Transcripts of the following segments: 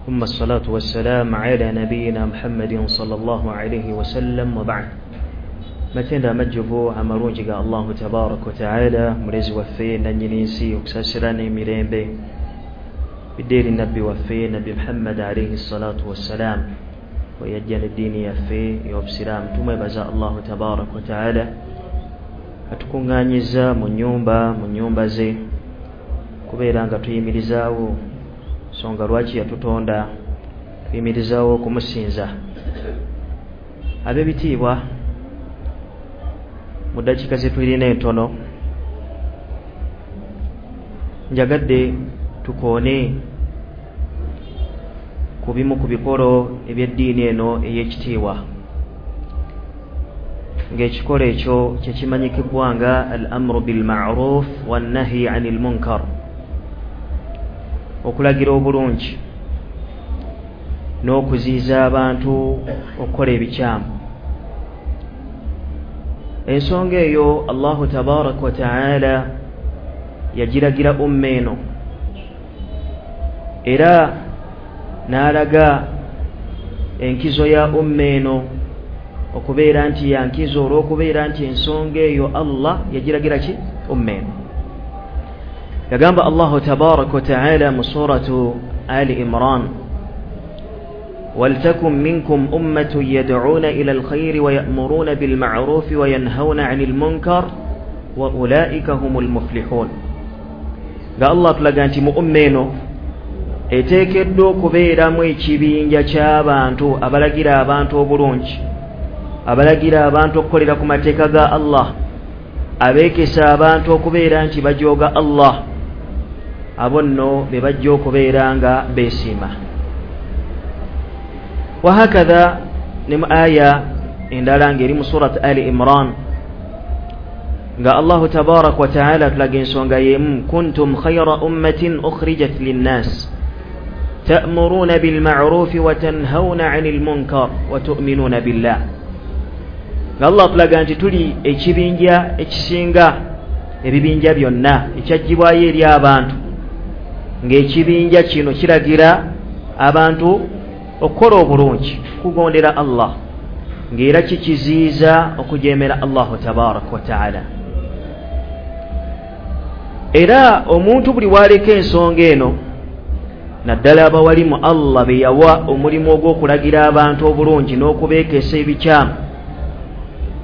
ثم الصلاة والسلام على نبينا محمد صلى الله عليه وسلم وبعد. Matenda amajjuvu amalungi ga Allahu tabaraka wa taala, mulezi waffe nannyini nsi, okusaasira n'emirembe bidde eri nabbi waffe Nabbi Muhammad alayhi salatu wassalam, weyajja n'eddiini yaffe ey'obusiraamu. Tumwebaza Allahu tabaraka wa taala atukuŋŋaanyiza mu nnyumba ze kubeera nga tuyimirizaawo nsonga lwaki yatutonda, tuyimirizaawo okumusinza. Ab'ebitiibwa, mu ddakiika ze tulina entono njagadde tukoone ku bimu ku bikolo eby'eddiini eno ey'ekitiibwa, ng'ekikolo ekyo kye kimanyikibwa nga al-amru bil-ma'ruf wan-nahyi 'anil munkar, okulagira obulungi n'okuziyiza abantu okukola ebikyamu. Ensonga eyo Allahu tabaraka wa taala yagiragira umma eno, era n'alaga enkizo ya umma eno okubeera nti yankizo olw'okubeera nti ensonga eyo Allah yagiragira ki umma eno. Yagamba Allahu tabaraka wa taala mu suratu Ali Imran, ولتكن منكم أمة يدعون إلى الخير ويأمرون بالمعروف وينهون عن المنكر وأولئك هم المفلحون. Nga Allah tulaga nti mu umma eno eteekeddwa okubeeramu ekibinja ky'abantu abalagira abantu obulungi, abalagira abantu okukolera ku mateeka ga Allah, abeekesa abantu okubeera nti bajooga Allah, abo nno be bajja okubeera nga beesiima. Wahakadha ne mu aya endala ng'eri mu surat Ali Imran, nga Allahu tabaraka wa taala tulaga ensonga y'emu, kuntum khayra ummatin ukhrijat linnas ta'muruna bilma'rufi wa tanhawna 'anil munkar wa tu'minuna billah. Nga Allah tulaga nti tuli ekibinja ekisinga ebibinja byonna ekyaggyibwayo eri abantu, ng'ekibinja kino kiragira abantu okukola obulungi, kugondera Allah, ng'era kikiziiza okujeemera Allahu tabaraka wa taala. Era omuntu buli w'aleka ensonga eno, naddala abawalimu Allah be yawa omulimu ogw'okulagira abantu obulungi n'okubeekesa ebikyamu,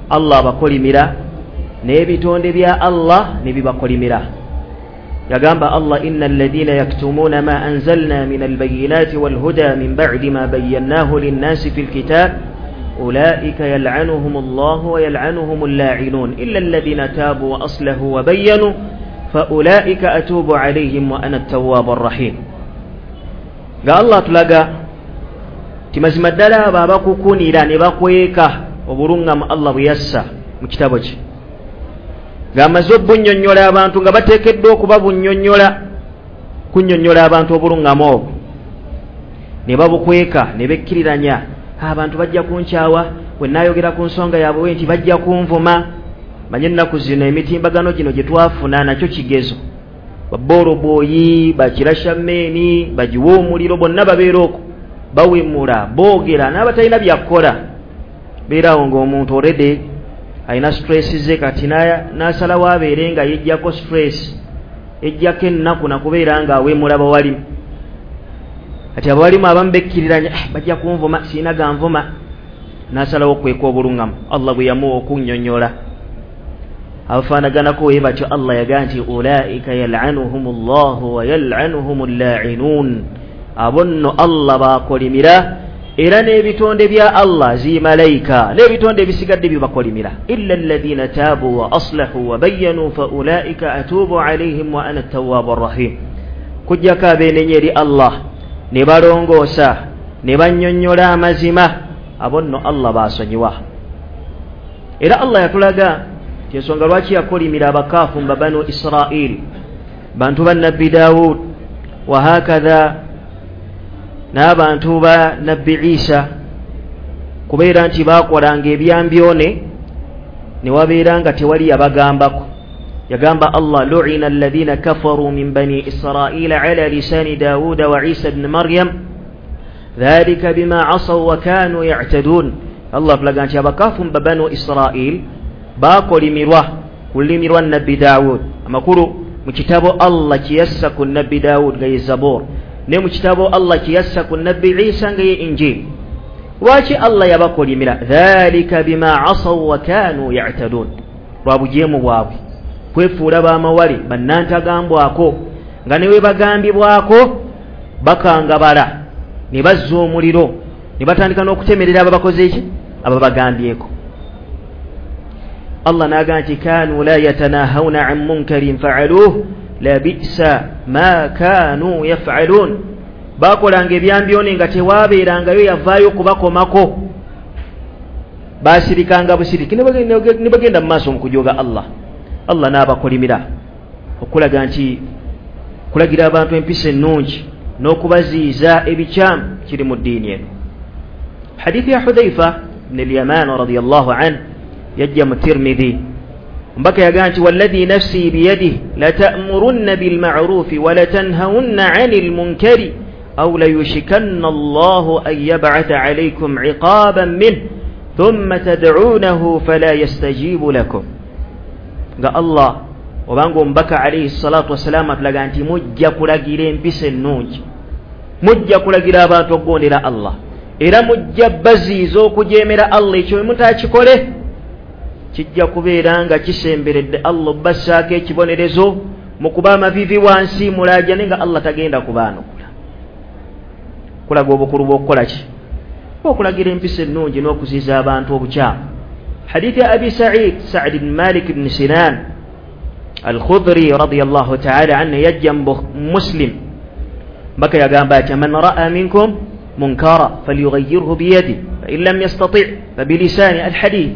Allah abakolimira n'ebitonde bya Allah ne bibakolimira. Yagamba Allah, inna alladhina yaktumuna ma anzalna min albayinati walhuda min ba'di ma bayyanahu linnasi fil kitab ulaika yal'anuhum Allahu wa yal'anuhum al-la'inun illa alladhina tabu wa aslahu wa bayyanu fa ulaika atubu alayhim wa ana at-tawwabur rahim. Nga Allah tulaga ti mazima ddala abo abakukunira ne bakweka obulungamu Allah bwe yassa mu kitabo kye, ng'amaze obunnyonnyola abantu nga bateekeddwa okuba bunnyonnyola, kunnyonnyola abantu obulungamu obwo ne babukweka ne bekkiriranya, abantu bajja kunkyawa we naayogera ku nsonga yaabwe nti bajja kunvuma. Manye ennaku zino emitimbagano gino gye twafuna nakyo kigezo, baboolobooyi, bakirashammeeni, bagiwa omuliro, bonna babeera okwo bawemula, boogera n'abatalina byakukola. Beerawo ng'omuntu already alina stress ze, kati n'asalawo abeere nga yeggyako stress, ejjako ennaku nakubeera nga awemula bawalimu. Kati abawalimu abamu bekkiriranya, bajja kunvuma, sirina ganvuma, n'asalawo okweka obulungamu Allah bwe yamuwa okunnyonnyola. Abafaanaganako we batyo Allah yagaa nti ulaika yal'anuhum Allahu wa yal'anuhum al-la'inun, abo nno Allah baakolimira, era n'ebitonde bya Allah zi malayika n'ebitonde ebisigadde bibakolimira. Illa alladhina taabu wa aslahu wa bayyanu fa ulaika atubu alayhim wa ana at-tawwabur rahim. Kujjako abeenenya eri Allah ne balongoosa ne bannyonnyola amazima, abo nno Allah baasonyiwa. Era Allah yatulaga nti ensonga lwaki yakolimira abakaafu mu Banu Israil, bantu ba Nabbi Daawud, wahakadha n'abantu ba Nabbi Isa, kubeera nti baakolanga ebyambyone ne wabeera nga tewali yabagambako. Yagamba Allah, lu'ina alladhina kafaru min bani Israila ala lisani Dawuda wa Isa ibn Maryam Dhalika bima asaw wa kanu ya'tadun. Allah atulaga nti abakafu mu Banu Israil bakolimirwa ku lulimi lwa Nabbi Dawud. Amakulu mu kitabo Allah kye yassa ku Nabbi Dawud nga ye Zabur, ne mu kitabo Allah kye yassa ku Nabbi Isa nga ye Injil. Lwaki Allah yabakolimira? Dhalika bima asaw wa kanu ya'tadun, lwa bujeemu bwabwe, kwefuula bamawale bannantagambwako, nga ne we bagambibwako bakangabala ne bazza omuliro ne batandika n'okutemerera ababakoze eki ababagambyeko. Allah n'agamba nti kanu la yatanahawna an munkarin fa'aluhu labisa ma kanu yaf'alun. Bakolanga ebyambyone nga tewabeerangayo yavaayo kubakomako, basirikanga busiriki ne bagenda mu maaso mu kujoga Allah. Allah n'abakolimira okulaga nti kulagira abantu empisa ennungi n'okubaziiza ebikyamu kiri mu ddiini eno. Hadithi ya Hudhaifa ibn al-Yaman radiyallahu anhu yajja mu Tirmidhi, mbaka yagamba nti walladhi nafsi biyadihi lata'murunna bilma'rufi wa latanhawunna 'anil munkari aw layushikanna Allahu an yab'atha 'alaykum 'iqaban minhu thumma tad'unahu fala yastajibu lakum. Nga Allah obanga omubaka alayhi salatu wassalam atulaga nti mujja kulagira empisa ennungi, mujja kulagira abantu okugondera Allah, era mujja baziiza okujeemera Allah. Ekyo mutakikole kijja kubeera nga kisemberedde Allah obassaako ekibonerezo mu kuba amaviivi wansi mulaajane nga Allah tagenda kubaanukula. Kulaga obukulu bw'okukola ki? Okulagira empisa ennungi n'okuziiza abantu obukyamu. Hadithi ya Abi Sa'id, Sa'd ibn Malik ibn Sinan Al-Khudri radiyallahu ta'ala anhu yajja Muslim, mbaka yagamba ati man ra'a minkum munkara falyughayyirhu biyadihi fa in lam yastati' fa bilisani. Al-hadith,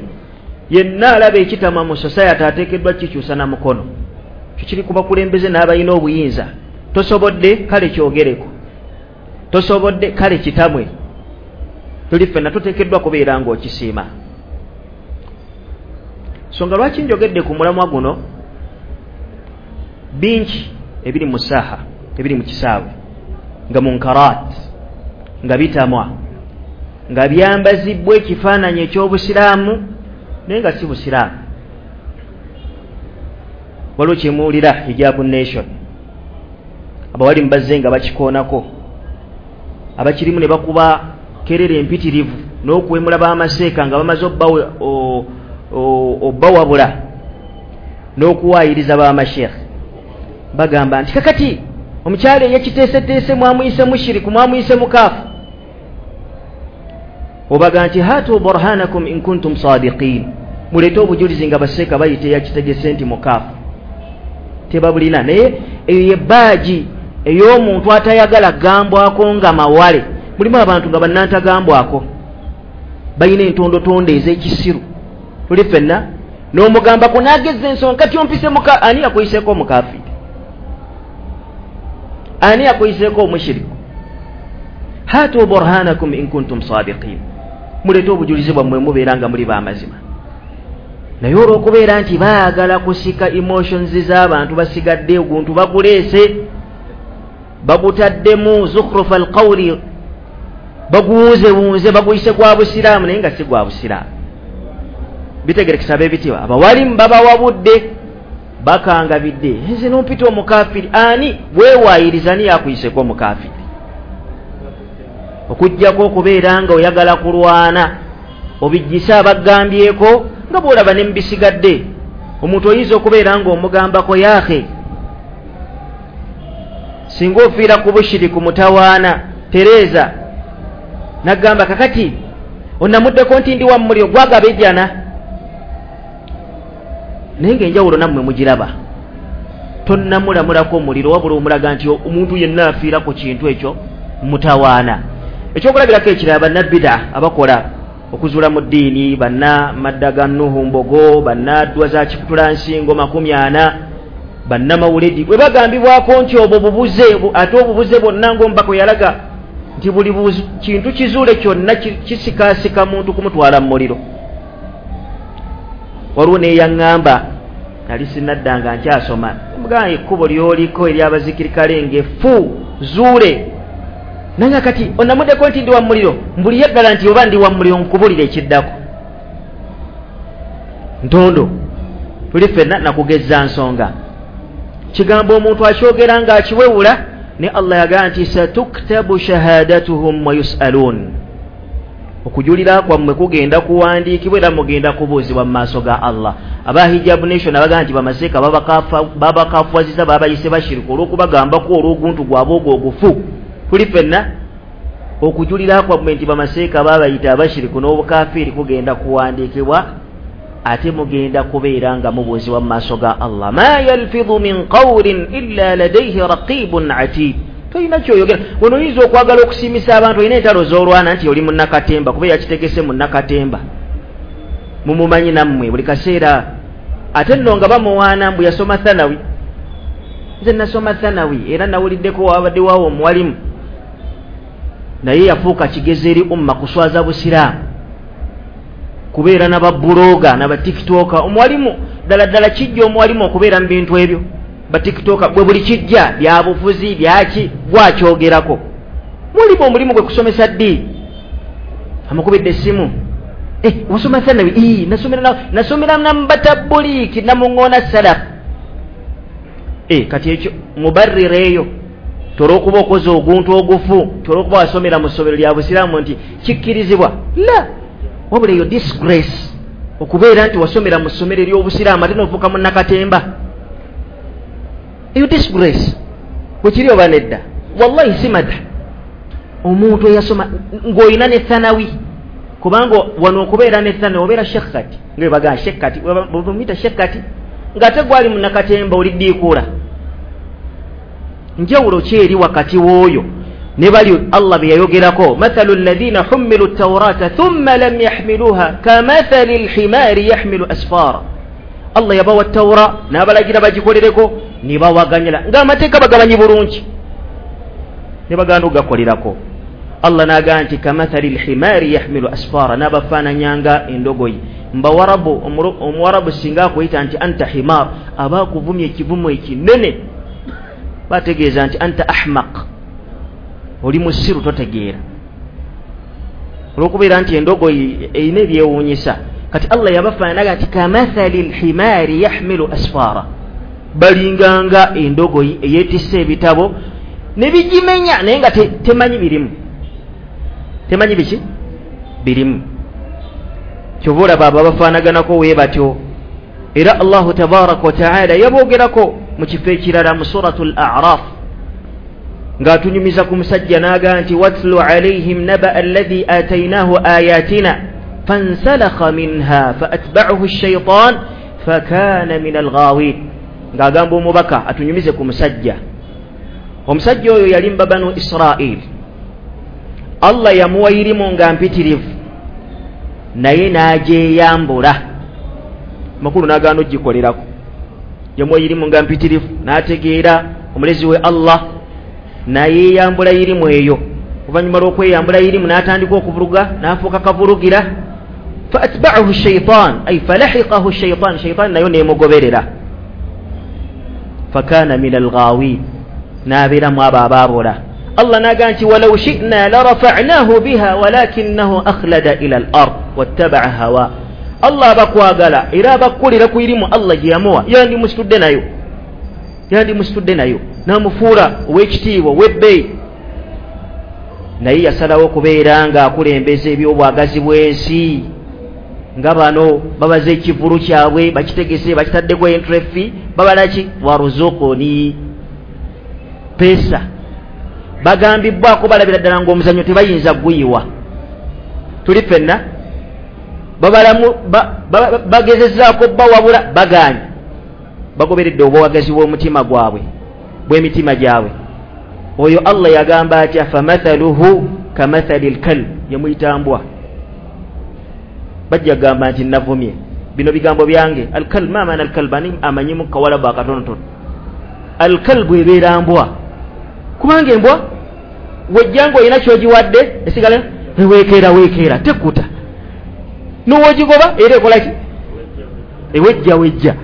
yenna alaba ekitama mu society ateekeddwa kikyusa na mukono. Kikiri ku bakulembeze n'abalina obuyinza. Tosobodde kale kyogereko, tosobodde kale kitamwe, tuli ffenna tuteekeddwa kubeera ng'okisiima. So nga lwaki njogedde ku mulamwa guno? Bingi ebiri mu saaha, ebiri mu kisaawe nga munkarat, nga bitamwa, nga byambazibwa ekifaananyi eky'obusiraamu naye nga si busiraamu. Waliwo kyemuwulira Hijabu Nation, abawali mubazze nga bakikoonako, abakirimu ne bakuba kerere empitirivu n'okuwemula b'amaseeka nga bamaze obbawabula n'okuwaayiriza b'amasheekh. Bagamba nti kakati omukyala eyekiteeseteese mwamuyise mushiriku, mwamuyise mukaafu. Obaga nti hatu burhanakum in kuntum sadiqin, muleete obujulizi nga baseeka bayita eyakitegese nti mukaafu. Tebabulina. Naye eyo ye baaji ey'omuntu atayagala gambwako nga mawale. Mulimu abantu nga bannantagambwako, balina entondotondo ez'ekisiru. Tuli ffenna n'omugambako n'ageza ensonga kati ompise muka, ani yakuyiseeko omukaafiri? Ani yakuyiseeko omushiriku? Hatu burhanakum in kuntum sadiqin, muleete obujulizi bwammwe mubeera nga muli b'amazima. Naye olw'okubeera nti baagala kusika emotions z'abantu basigadde oguntu baguleese, bagutaddemu zukhrufa alqawli, baguwunzewunze, baguyise gwa busiraamu naye nga si gwa busiraamu. Bitegerekesa ab'ebitiibwa, abawalimu babawabudde, bakangabidde. Nze nompita omukafiri, ani weewaayiriza ani yakuyiseko omukafiri? Okuggyako okubeera nga oyagala kulwana obijjise abagambyeko nga bw'olaba ne mubisigadde. Omuntu oyinza okubeera ng'omugambako yaahe, singa ofiira ku bushiriku mutawaana tereeza, nagamba kakati onamuddeko nti ndi wa muliro gwagaba ejjana. Naye ng'enjawulo nammwe mugiraba, tonnamulamulako omuliro wabula omulaga nti omuntu yenna afiira ku kintu ekyo mutawaana. Ekyokulabirako ekirala, bannabida abakola okuzuula mu ddiini, banna madda ga Nuhu Mbogo, banna ddwa za Kikutulansingo 40, bannamawuledi, bwe bagambibwako nti obwo bubuze, ate obubuze bwonna ng'omubaka yalaga nti buli kintu kizuule kyonna kisikaasika muntu kumutwala mu muliro. Waliwo neyaŋŋamba, nali sinnadda nga nkyasoma, mugamba ekkubo ly'oliko ery'abazikirikale ng'effu zuule, Nanga kati onamuddeko nti ndi wa muliro, mbuliye ddala nti oba ndi wa muliro, nkubulira ekiddako. Ntondo tuli ffenna nakugezza nsonga. Kigambo omuntu akyogera ng'akiwewula, ne Allah yagamba nti satuktabu shahadatuhum wa yus'alun, okujulira kwammwe kugenda kuwandiikibwa era mugenda kubuuzibwa mu maaso ga Allah. Aba Hijab Nation abagamba nti bamaseeka babakafuwaziza, babayise bashiriku olw'okubagambako olw'oguntu gwabwe ogwo ogufu. Tuli ffenna okujulira kwammwe nti bamaseeka babayita abashiriku n'obukafiiri kugenda kuwandiikibwa, ate mugenda kubeera nga mubuuzibwa mu maaso ga Allah. Ma yalfidhu min qawlin illa ladayhi raqibun atid. Tolina kyoyogera. Wano oyinza okwagala okusiimisa abantu, olina entalo z'olwana nti oli munnakatemba, kuba yakitegese munnakatemba, mumumanyi nammwe buli kaseera. Ate nno nga bamuwaana mbu yasoma thanawi. Nze nasoma thanawi era nawuliddeko wabadde waawo omuwalimu, naye yafuuka kigezo eri umma kuswaza busiraamu, kubeera n'ababuloga n'abatikitoka. Omuwalimu ddala ddala kijja omuwalimu okubeera mu bintu ebyo, batikitoka bwe buli kijja byabufuzi byaki gwakyogerako. Mulimu omulimu gwe kusomesa ddi? Amukubidde essimu, wasoma thanawi? Nasomera namubatabuliiki namuŋŋoona salafu. Kati ekyo mubarrira eyo tolwokuba okoze oguntu ogufu, tolwokuba wasomera mu ssomero lya busiraamu nti kikkirizibwa, la wabula eyo disgrace okubeera nti wasomera mu ssomero ery'obusiraamu ate n'ofuuka munnakatemba. Eyo disgrace bwekiri oba nedda? Wallahi si madha. Omuntu eyasoma ng'olina ne thanawi, kubanga wano okubeera ne thanawi obeera sheikh kati, nga bwe sheikh kati, bwemuyita sheikh kati ng'ate gwali munnakatemba oli ddiikuula. Njawulo ki eri wakati w'oyo ne bali Allah bye yayogerako, mathalu alladhina hummilu at-taurata thumma lam yahmiluha kamathali al-himari yahmilu asfara. Allah yabawa Tawra n'abalagira bagikolereko ne bawaganyira ng'amateeka bagabanyi bulungi ne baganda okugakolerako. Allah n'agamba nti kamathali al-himari yahmilu asfara, n'abafaananyanga endogoyi. Mbawarabu, omuwarabu singa akuyita nti anta himar, aba akuvumya ekivumo ekinene, bategeeza nti anta ahmaq, oli musiru totegeera, olw'okubeera nti endogoyi erina ebyewuunyisa. Kati Allah yabafaananaga nti kamathali lhimaari yahmilu asfara, balinganga endogoyi eyeetisse ebitabo ne bigimenya naye nga temanyi birimu, temanyi biki birimu. Kyova olaba abo abafaanaganako we batyo. Era Allahu tabaraka wa taala yaboogerako mu kifo ekirala mu suratu al-A'raf ng'atunyumiza ku musajja n'agamba nti watlu alayhim naba alladhi atainahu ayatina fansalakha minha faatba'ahu ash-shaytan fakana min al-ghawin. Ng'agamba omubaka atunyumize ku musajja. Omusajja oyo yali mu Banu Israil. Allah yamuwa irimu nga mpitirivu naye n'agyeyambula, makulu n'agaana ogikolerako. Yamuwa irimu nga mpitirivu n'ategeera omulezi we Allah, nayeeyambula irimu eyo. Oluvannyuma lw'okweyambula irimu n'atandika okuvuluga, n'afuuka kavulugira. Faatba'ahu shaitan ay falahiqahu shaitan, shaitan nayo neemugoberera. Fakana min alghawin, n'abeeramu abo abaabula. Allah n'agamba nti walau shi'na larafa'nahu biha walakinnahu akhlada ila al-ard wattaba'a hawa. Allah abakwagala era abakukolera ku irimu Allah gye yamuwa, yandimusitudde nayo, yandimusitudde nayo n'amufuula ow'ekitiibwa ow'ebbeeyi. Naye yasalawo okubeera ng'akulembeza ebyobwagazi bw'ensi, nga bano babaze ekivulu kyabwe bakitegese, bakitaddeko entry fee, babalaki waruzukuni pesa. Bagambibwako balabira ddala ng'omuzannyo tebayinza guyiwa. Tuli ffenna babalamu bagezezzaako bawabula, bagaanye, bagoberedde obwagazi bw'omutima gwabwe, bw'emitima gyabwe. Oyo Allah yagamba atya famathaluhu kamathali lkalb, yamuyita mbwa. Bajja gamba nti navumye, bino bigambo byange. Alkalb, ma maana alkalb? Ani amanyimu kawalabu akatonotono? Alkalbu ebeera mbwa, kubanga embwa wejjanga olina kyogiwadde esigala eweekeera weekeera, tekuta n'owogigoba era ekolaki, ewejja wejja.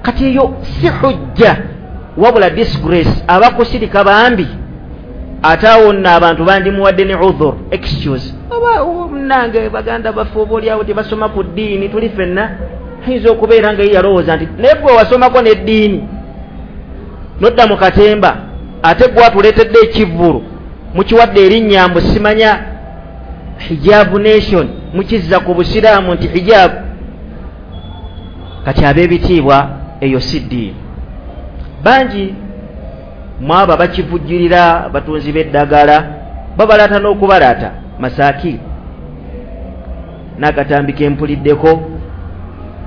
Kati eyo si hujja wabula disgrace. Abakusirika bambi Ate awo nno abantu bandimuwadde ne udhur, excuse, oba munange baganda baffe oba oliawo tebasoma ku ddiini, tuli ffenna. Ayinza okubeera nga ye yalowooza nti naye gwe wasomako n'eddiini nodda mu katemba, ate gwe atuleetedde ekivvulu mukiwadde erinnya mbu simanya Hijabu Nation, mukizza ku busiraamu nti hijabu. Kati ab'ebitiibwa, eyo si ddiini. Bangi mwabo abakivujjirira, abatunzi b'eddagala babalaata n'okubalaata masaaki. N'akatambi kempuliddeko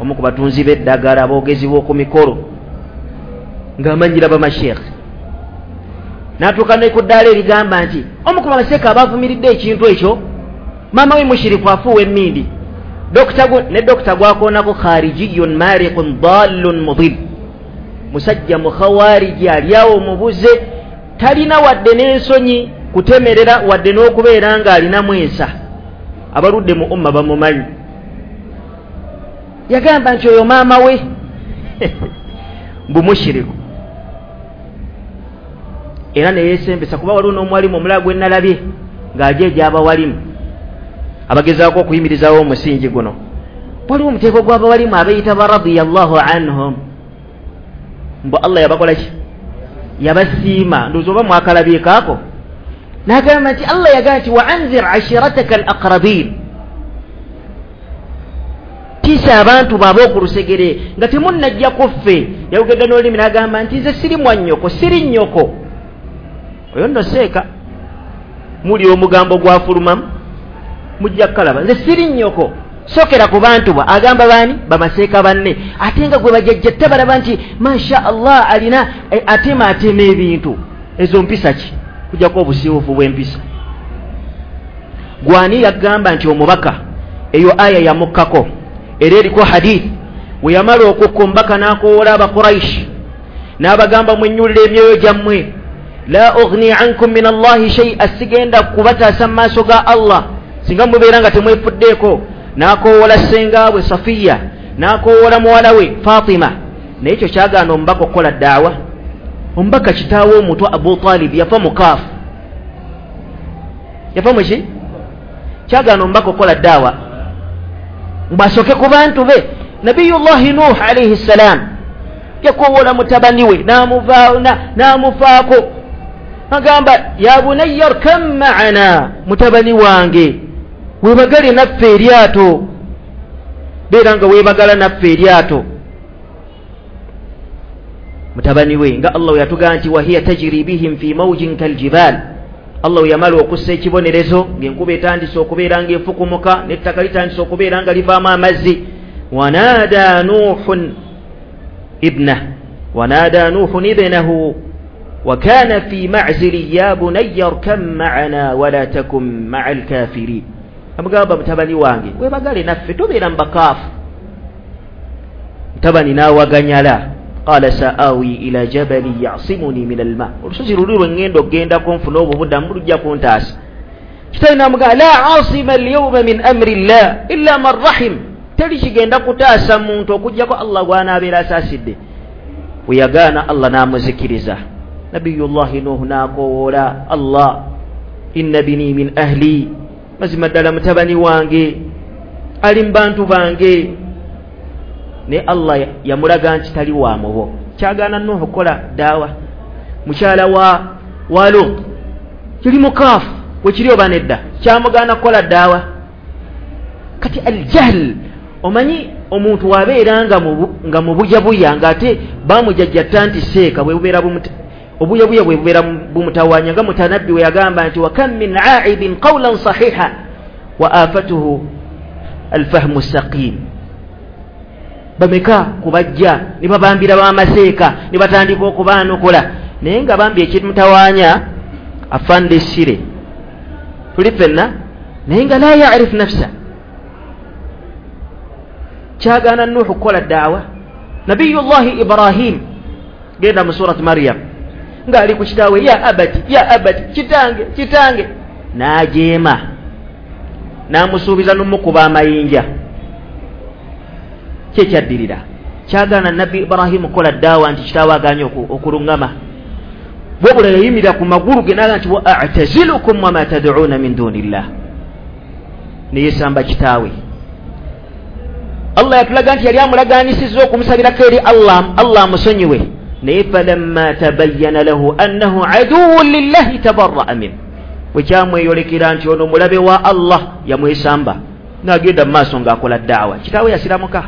omu ku batunzi b'eddagala aboogezi b'oku mikolo ng'amanyira bamasheekhe, n'atuuka ne ku ddaala erigamba nti omu ku bamaseeka abavumiridde ekintu ekyo maama we mushiriku afuuwa emmindi. Ne dokita gwakoonako kharijiyun mariqun dallun mudil, musajja mukhawariji aliawo mubuze, talina wadde n'ensonyi kutemerera wadde n'okubeera ng'alinamu ensa. Abaludde mu umma bamumanyi. Yagamba nti oyo maama we mbu mushiriku, era neyeesembesa kuba waliwo n'omwalimu omulala gwe nalabye ng'ajeeja abawalimu abagezaako okuyimirizawo omusingi guno. Waliwo omuteeko gw'abawalimu abeeyita ba radiyallahu anhum, mbu Allah yabakola ki? Yabasiima. Ndowooza oba mwakalabyekaako. N'agamba nti Allah yagamba nti wa anzir ashirataka al aqrabin, tiisa abantu baaba okulusegere nga temunnajja ku ffe. Yayogedde n'olulimi n'agamba nti nze siri mwannyoko, siri nnyoko. Oyo nno seeka muli omugambo gwafulumamu, mujja kukalaba, nze siri nnyoko. Sokera ku bantu ba agamba baani? Bamaseeka banne, ate nga gwe bajjajja tabalaba nti masha Allah alina atema atema ebintu. Ezo mpisa ki? Kujjako obusiiwuufu bw'empisa. Gwani yagamba nti omubaka eyo aya yamukkako, era eriko hadith we yamala okukka omubaka n'akowoola Abakuraishi n'abagamba mwennyulire emyoyo gyammwe, la ughni ankum min Allahi shay'a, sigenda kubataasa mu maaso ga Allah singa mubeera nga temwefuddeeko. N'akowoola ssengaabwe Safiya, n'akowoola muwala we Fatima. Naye ekyo kyagaana omubaka okukola daawa. Omubaka kitaawe omuto Abu Talib yafa mukaafu, yafa muki? Kyagaana omubaka okukola daawa mbasooke ku bantu be. Nabiyullahi Nuh alayhi ssalam yakowoola mutabani we n'amufaako, agamba ya bunayya rkam ma'ana, mutabani wange weebagale naffe eryato, beera nga weebagala naffe eryato. Mutabani we nga Allah we yatugamba nti wahiya tajri bihim fi mawjin kaljibal, Allah we yamala okussa ekibonerezo ng'enkuba etandise okubeera ng'efukumuka n'ettaka litandise okubeera nga livaamu amazzi. Wanada Nuhun ibnahu, wanada Nuhun ibnahu wa kana fi ma'zili ya bunayya rkam ma'ana wala takum ma'al kafirin. Amugamba mutabani wange weebagale naffe, tobeera mu bakaafu. Mutabani n'awaganyala, qala sa'awi ila jabali ya'simuni min alma, olusozi luli lwe ŋŋenda okugendako nfune obubuddamu lujja kuntaasa. Kitaawe n'amugamba la asima alyawma min amri llah illa man rahim, teri kigenda kutaasa muntu okuggyako Allah gw'anaabeera asaasidde. Bwe yagaana Allah n'amuzikiriza. Nabiyullahi Nuhu n'akowoola Allah, inna bini min ahli, mazima ddala mutabani wange ali mu bantu bange. Ne Allah yamulaga nti tali wa mubo. Kyagaana Nuhu kukola daawa. Mukyala wa Lut kiri mukaafu bwe kiri oba nedda, kyamugaana kukola daawa. Kati aljahl, omanyi omuntu wabeera nga mubuyabuya ng'ate bamujajjatta nti seeka bwe bubeera obuyabuya bwe bubeera bumutawaanya, nga mutanabbi we yagamba nti wa kam min aibin qawlan sahiha wa afatuhu alfahmu saqim. Bameka kubajja ne babambira bamaseeka ne batandika okubaanokola, naye nga bambi ekimutawaanya afande sire tuli ffenna, naye nga la yarif nafsa. Kyagaana Nuhu kukola daawa. Nabiyullahi Ibrahim, genda mu surat Maryam, ng'ali ku kitaawe ya abati, ya abati, kitange kitange, n'ajeema n'amusuubiza n'omukuba amayinja. Kyekyaddirira kyagaana Nabbi Ibrahimu kukola daawa nti kitaawe agaanye okuluŋŋama. Wabula yayimirira ku magulu ge n'agamba nti wa a'tazilukum wama tad'uuna min dunillah, neyesamba kitaawe. Allah yatulaga nti yali amulagaanyisizza okumusabirako eri Allah, Allah amusonyiwe, naye falamma tabayyana lahu annahu aduwwun lillahi tabarra'a min, bwe kyamweyolekera nti ono mulabe wa Allah, yamwesamba n'agenda mu maaso ng'akola daawa. Kitaawe yasiramuka.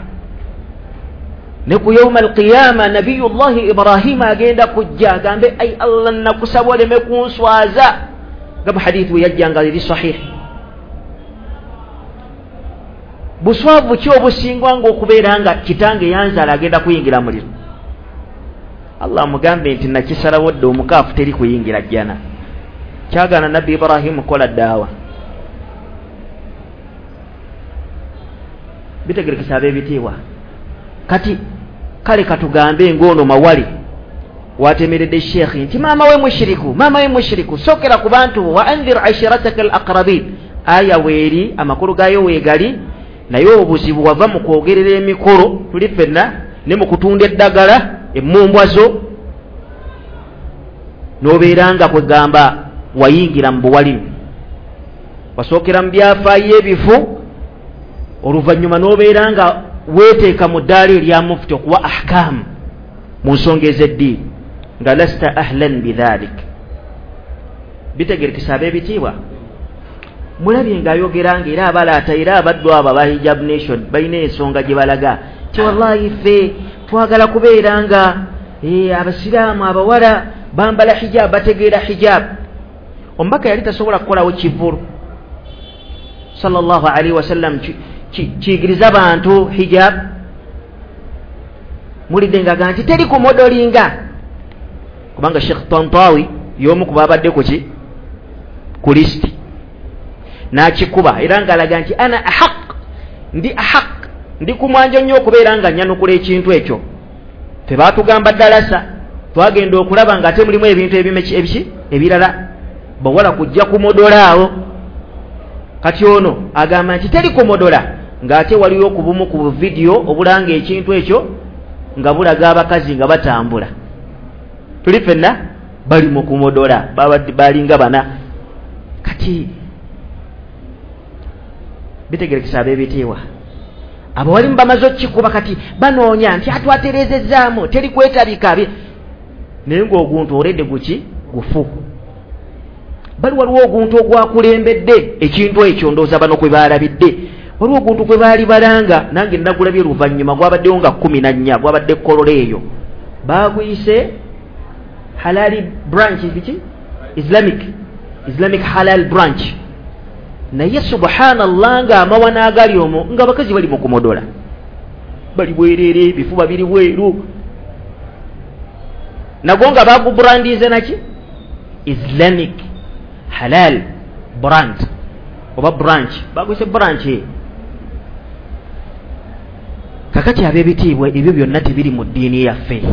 Ne ku yauma alqiyama nabiyullahi Ibrahima agenda kujja agambe, ai Allah, nakusaba oleme kunswaza, nga mu hadithi we yajja nga eri sahihi. Buswavu ki obusingwa ng'okubeera nga kitange yanzaala agenda kuyingira muliro? Allah amugambe nti nakisalawo dda, omukaafu teri kuyingira jjana. Kyagaana Nabbi Ibrahimu kukola daawa. Bitegerekesa ab'ebitiibwa. Kati kale katugambe ng'ono mawali watemeredde sheekhi nti maama we mushiriku, maama we mushiriku, sookera ku bantu, wa andhir ashirataka al aqrabin. Aya weeri, amakulu gaayo weegali, naye obuzibu wava mu kwogerera emikolo tuli ffenna ne mu kutunda eddagala emmumbwa zo, n'obeera nga kwegamba wayingira mu buwalimu, wasookera mu byafaayo ebifu, oluvannyuma n'obeera nga weeteeka mu ddaala erya mufti okuwa ahkaamu mu nsonga ez'eddiini nga lasta ahlan bidhalik. Bitegerekesa ab'ebitiibwa. Mulabye ng'ayogera nga era abalaata era abaddu abo aba Hijab Nation balina ensonga gye balaga ti wallahi ffe twagala kubeera nga abasiraamu abawala bambala hijab, bategeera hijab. Omubaka yali tasobola kukolawo kivvulu sallallahu alaihi wasallam kiyigiriza bantu hijab. Mulidde ng'agamba nti teri kumodolinga, kubanga Sheikh Tantawi y'omu ku babadde ku ku lisiti n'akikuba era ng'alaga nti ana ahaq, ndi ahaq, ndi ku mwanjo nnyo okubeera nga nnyanukula ekintu ekyo. Ffe baatugamba ddalasa, twagenda okulaba ng'ate mulimu ebintu ebiki ebirala, bawala kujja kumodola awo. Kati ono agamba nti teri kumodola, ng'ate waliwo ku bumu ku vidiyo obulanga ekintu ekyo nga bulaga abakazi nga batambula. Tuli ffenna bali mu kumodola, balinga bana. Kati bitegerekesa ab'ebitiibwa, abawalimu bamaze okukikuba, kati banoonya nti atwatereezezzaamu teri kwetabika, naye ng'oguntu oledde guki gufu. Bali waliwo oguntu ogwakulembedde ekintu ekyo, ndowooza bano kwe baalabidde. Waliwo oguntu kwe baali balanga, nange nagulabye luvannyuma, gwabaddewo nga 14, gwabadde Kololo eyo, baaguyise halali branch, biki Islamic halal branch. Naye subhanallah, nga amawana agali omwo nga abakazi bali mu kumodola, bali bwerere, ebifuba biri bweru, nago nga bagubrandinze naki Islamic halal brand oba branch, baguyise branch. Kakati ab'ebitiibwa, ebyo byonna tebiri mu ddiini yaffe.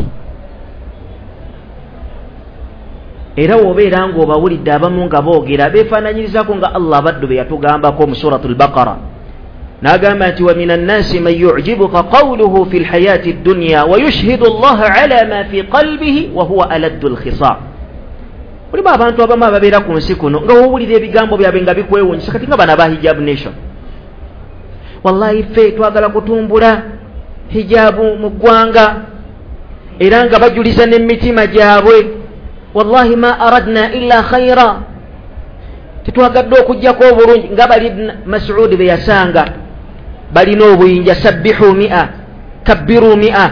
Era wobeera ng'obawulidde abamu nga boogera beefaananyirizaako nga Allah abaddu be yatugambako mu Suratul Baqara, n'agamba nti wa mina nnasi man yu'jibuka qawluhu fi lhayaati ddunya wa yushhidu Allaha ala ma fi qalbihi wa huwa aladdu lkhisam. Mulimu abantu abamu ababeera ku nsi kuno nga wowulira ebigambo byabwe nga bikwewuunyisa, kati nga bano aba Hijab Nation, wallahi ffe twagala kutumbula hijabu mu ggwanga, era nga bajuliza n'emitima gyabwe, wallahi ma aradna illa khaira, tetwagadde okuggyako obulungi, nga bali Masudi be yasanga balina obuyinja, sabbihu mi'a kabbiru mi'a.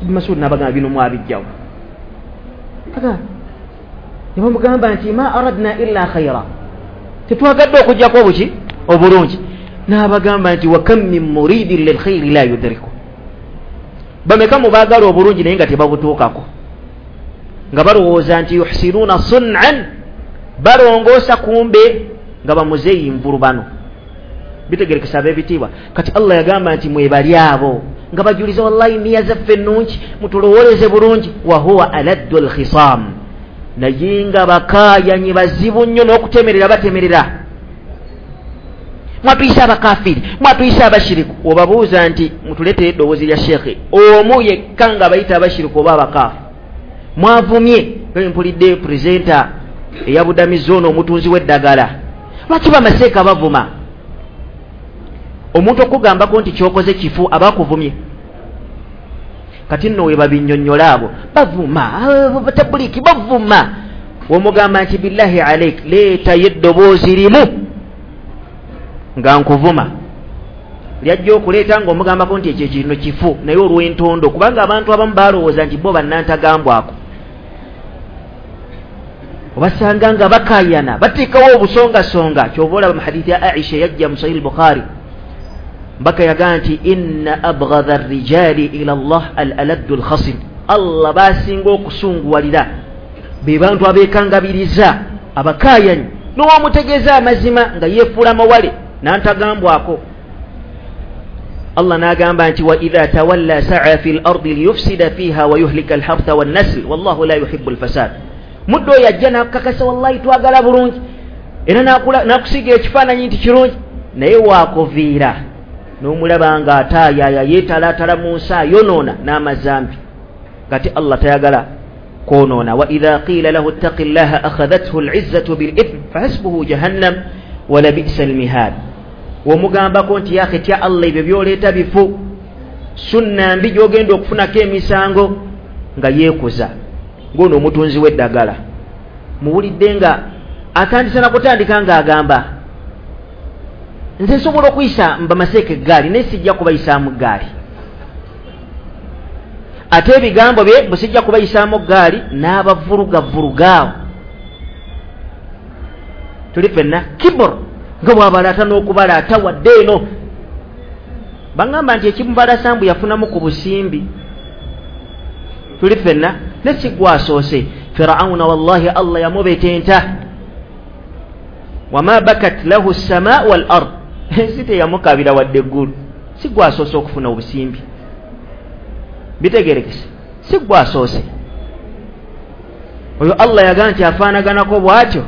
Masudi n'abagamba bino mwabijjawo, ne bamugamba nti ma aradna illa khaira, tetwagadde okuggyako obuki obulungi. N'abagamba nti wa kam min muridin lilkhairi la yudriku, bameka mu baagala obulungi naye nga tebabutuukako, nga balowooza nti yuhsinuuna sun'an, balongoosa kumbe nga bamuzeeyi nvulu bano. Bitegerekesa ab'ebitiibwa. Kati Allah yagamba nti mwebali abo nga bajuliza wallahi niya zaffe ennungi, mutulowooleze bulungi, wa huwa aladdu lkhisam, naye nga bakaayanyi bazibu nnyo n'okutemerera batemerera. Mwatuyise abakafiri, mwatuyise abashiriku. Obabuuza nti mutuleetere eddoboozi lya sheekhe omu yekka nga bayita abashiriku oba abakaafu, Mwavumye nga mpulidde presenter eyabudamizza ono omutunzi w'eddagala. Lwaki bamaseeka bavuma? Omuntu okugambako nti kyokoze kifu aba akuvumye. Kati nno we babinnyonnyola abo bavuma, batabuliki bavuma. Womugamba nti billahi alaik, leetayo eddoboozi limu nga nkuvuma, lyajja okuleeta ng'omugambako nti ekyo kino kifu, naye olw'entondo, kubanga abantu abamu balowooza nti bo bannantagambwako. Obasanga nga bakayana, bateekawo obusongasonga. Kyova olaba mu hadithi ya Aisha yajja mu Sahih Bukhari, mbaka yagamba nti inna abghadha ar-rijali ila Allah al-aladdu al-khasim. Allah basinga okusunguwalira be bantu abeekangabiriza, abakayanyi, n'owamutegeeza amazima nga yeefuula mawale n'antagambwako. Allah n'agamba nti wa idha tawalla sa'a fil ardi liyufsida fiha wa yuhlika al-hartha wan-nasl wallahu la yuhibbu al-fasad. Muddo oyo ajja n'akukakasa, wallahi twagala bulungi, era n'akusiiga ekifaananyi nti kirungi, naye waakuviira n'omulaba nga ataayaaya, yeetalaatala mu nsi, ayonoona n'amazambi. Kati Allah tayagala kwonoona. Wa idha qiila lahu ittaqi llaha akhadhathu al-izzatu bil-ithm fahasbuhu jahannam wa labi'sa al-mihad. Womugambako nti yaakhe tya Allah, ebyo by'oleeta bifu, sunna mbi gy'ogenda okufunako emisango, nga yeekuza. Ng'ono omutunzi w'eddagala muwulidde nga atandise nakutandika ng'agamba nze nsobola okuyisa mbamaseeka eggaali, naye sijja kubayisaamu ggaali. Ate ebigambo bye bwe sijja kubayisaamu ggaali, n'abavulugavulugaawo. Tuli ffenna kibur nga bw'abalaata n'okubalaata wadde eno. Baŋŋamba nti ekimubalasa mbu yafunamu ku busimbi. Tuli ffenna ne si gwasoose. Firawuna wallahi Allah yamubetenta, wama bakat lahu ssamaa wal ard, ensi teyamukabira wadde eggulu. Si gwasoose okufuna obusimbi, bitegerekese, si gwasoose. Oyo Allah yagamba nti afaanaganako bw'atyo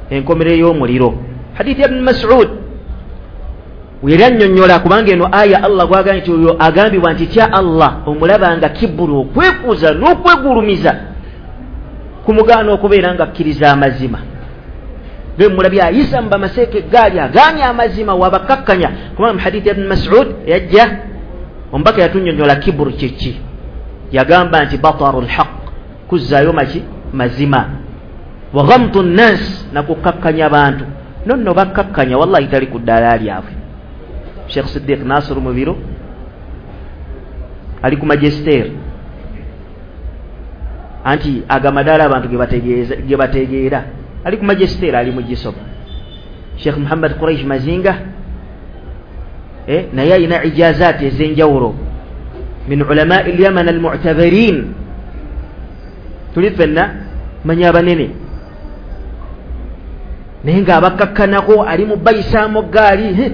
enkomerero y'omuliro. Hadithi ya Ibn Mas'ud yali annyonnyola, kubanga eno aya Allah gwagamba nti oyo agambibwa nti tya Allah, omulaba nga kibulu, okwekuza n'okwegulumiza kumugaana okubeera nga akkiriza amazima. Be mulabye ayisa mu bamaseeka eggaali, agaanye amazima, wabakakkanya. Kubanga mu hadithi ya Ibn Mas'ud yajja omubaka yatunnyonnyola kiburu kyeki. Yagamba nti bataru lhaq, kuzzaayo maki mazima, wa ghamtu nnas, nakukakkanya abantu. Nonno bakkakkanya, wallahi tali ku ddaala lyabwe. Sheikh Siddiq Nasir Mubiru ali ku Magister, anti agamadaala abantu ge bategeera, ali ku Magister, ali mu Gisoba. Sheikh Muhammad Quraish Mazinga naye alina ijazaati ez'enjawulo min ulamai al-Yaman al-mu'tabarin. Tuli ffenna manya abanene, naye ng'abakakkanako ali mu bayisaamu ggaali.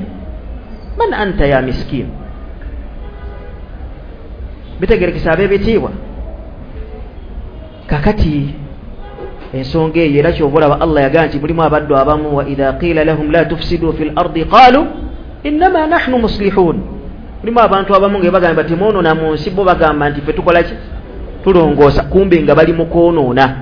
Man anta ya miskin. Bitegerekesa ab'ebitiibwa. Kakati ensonga eyo era kyova olaba Allah yagamba nti mulimu abaddu abamu, wa idha qila lahum la tufsidu fil ardi qalu innama nahnu muslihun. Mulimu abantu abamu nga bagamba temwonoona mu nsi, bo bagamba nti ffe tukola ki? Tulongoosa. Kumbe nga bali mu kwonoona,